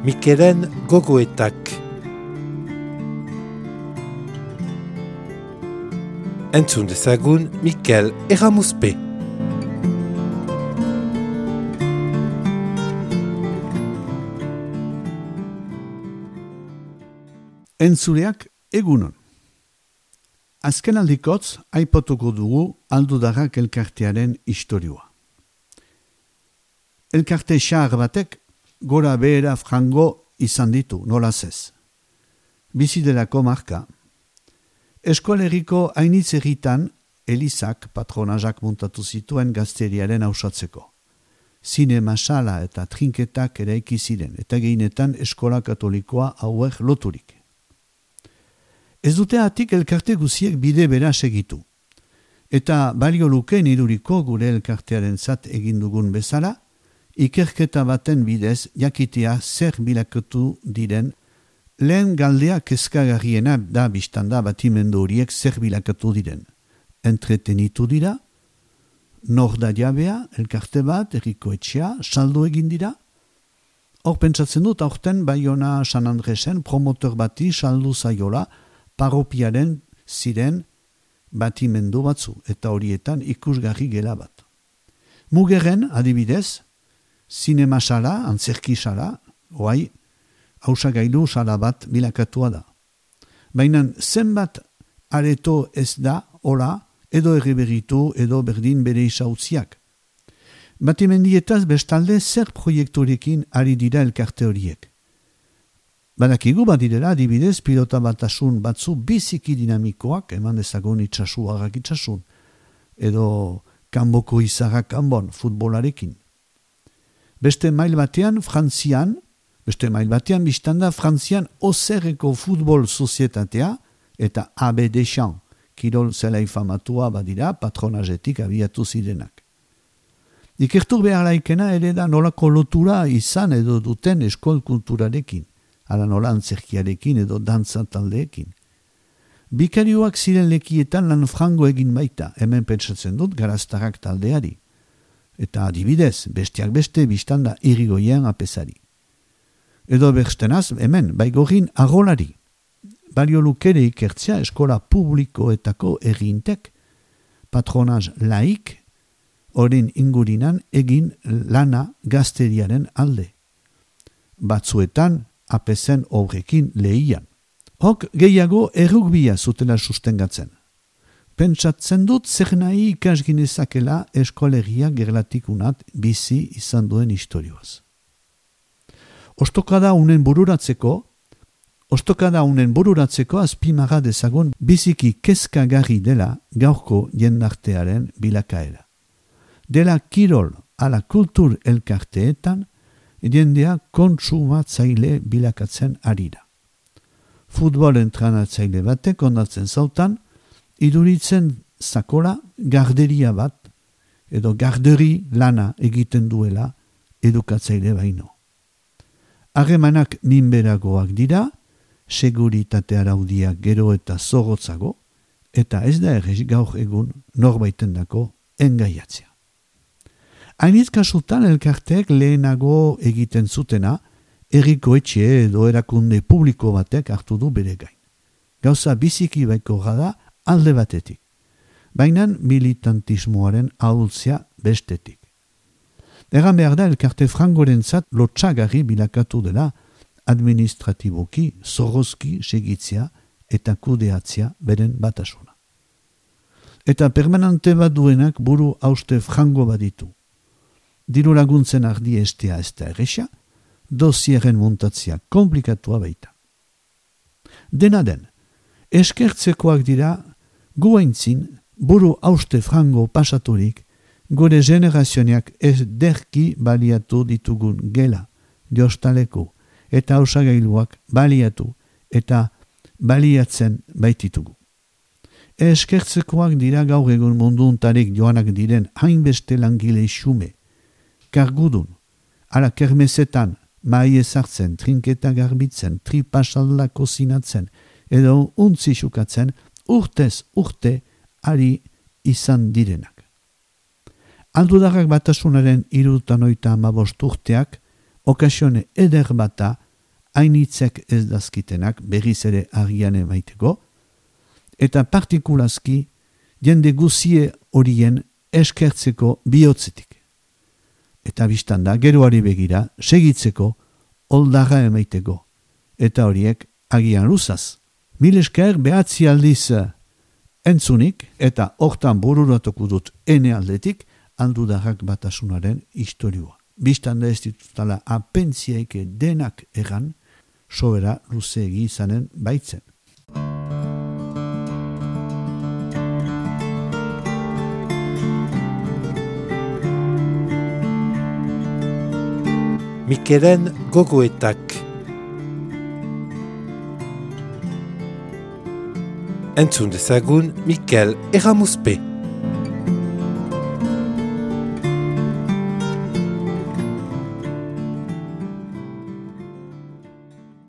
Mikelen gogoetak. Entzun dezagun Mikel Erramuzpe. Entzuleak egunon. Azken aldikotz aipatuko dugu Aldudarrak elkartearen istorioa. Elkarte xahar batek gora behera frango izan ditu, nolaz ez. Bizidelako marka. Eskoleriko hainitz egitan Elizak patronazak muntatu zituen gazteriaren ausatzeko. Zinema sala eta trinketak eraiki ziren eta gehienetan eskola katolikoa hauek loturik. Ez dute atik elkarte guziek bide bera segitu. Eta balio lukeen iduriko gure elkartearen zat egindugun bezala, ikerketa baten bidez jakitea zer bilakatu diren, lehen galdea kezkagarriena da biztanda batimendu horiek zer bilakatu diren. Entretenitu dira, nor da jabea, elkarte bat, herriko etxea, saldo egin dira. Hor pentsatzen dut aurten Baiona San Andresen promotor bati saldu zaiola, paropiaren ziren batimendu batzu, eta horietan ikusgarri gela bat. Mugerren, adibidez, zinema sala, antzerki sala, oai, hausagailu sala bat bilakatua da. Baina zenbat areto ez da, hola, edo erreberitu, edo berdin bere isautziak. Batimendietaz bestalde zer proiekturekin ari dira elkarte horiek. Badakigu badirela, adibidez, pilota batasun batzu biziki dinamikoak, eman dezagun itxasu harrak itxasun, edo kanboko izarrak kanbon, futbolarekin. Beste mail batean, biztanda Frantzian Oserreko futbol sozietatea eta AB Deschamps, kirol zelai famatua badira, patronajetik abiatu zirenak. Ikertu behar laikena ere da nolako lotura izan edo duten eskol kulturarekin. Ala nola antzerkiarekin edo dantza taldeekin. Bikarioak ziren lekietan lan frango egin baita, hemen pentsatzen dut garaztarrak taldeari. Eta adibidez, besteak beste biztanda irigoien apesari. Edo berstenaz, hemen, baigorin arrolari. Balio lukere ikertzea eskola publikoetako egintek, patronaz laik, horren ingurinan egin lana gazteriaren alde. Batzuetan, apesen horrekin lehian. Hok gehiago errugbia zutela sustengatzen. Pentsatzen dut zer nahi ikasginezakela eskolegia gerlatikunat bizi izan duen istorioaz. Ostokada unen bururatzeko azpimarra dezagun biziki kezkagarri dela gaurko jendartearen bilakaera. Dela kirol ala kultur elkarteetan jendea kontsumatzaile bilakatzen ari da. Futbol entrenatzaile batek ondatzen zautan, iduritzen zakola garderia bat edo garderi lana egiten duela edukatzaile baino. Harremanak minberagoak dira, seguritate araudiak gero eta zorrotzago, eta ez da errez gaur egun norbaitendako engaiatzea. Hainitz kasutan elkarteek lehenago egiten zutena, herriko etxe edo erakunde publiko batek hartu du bere gain. Gauza biziki baiko da alde batetik, baina militantismoaren ahultzea bestetik. Egan behar da elkarte frangorentzat lotxagarri bilakatu dela administratiboki, zorrozki segitzea eta kudeatzea beren batasuna. Eta permanente bat duenak buru hauste frango baditu. Diru laguntzen ardi estea ez da erresa, dosieren montatzea komplikatua baita. Dena den, eskertzekoak dira guaintzin buru hauste frango pasaturik gure generazioak ez derki baliatu ditugun gela, diostaleko eta osagailuak baliatu eta baliatzen baititugu. Eskertzekoak dira gaur egun munduntarik joanak diren hainbeste langile xume, kargudun, ala kermesetan, mai ezartzen, trinketa garbitzen, tripasalda kozinatzen, edo untzi xukatzen, urtez urte ari izan direnak. Aldudarrak batasunaren 75 urteak okasione eder bata hainitzek ez dazkitenak berriz ere agian emaiteko, eta partikulazki jende guzie horien eskertzeko bihotzetik. Eta biztanda geroari begira segitzeko oldarra emaiteko, eta horiek agian luzaz. Mil esker behatzi aldiz entzunik eta hortan bururatuko dut ene aldetik aldudarrak batasunaren historioa. Biztanda ez ditutala apentziaike denak egan, sobera luzeegi izanen baitzen. Mikelen gogoetak. Entzun dezagun Mikel Erramuspe.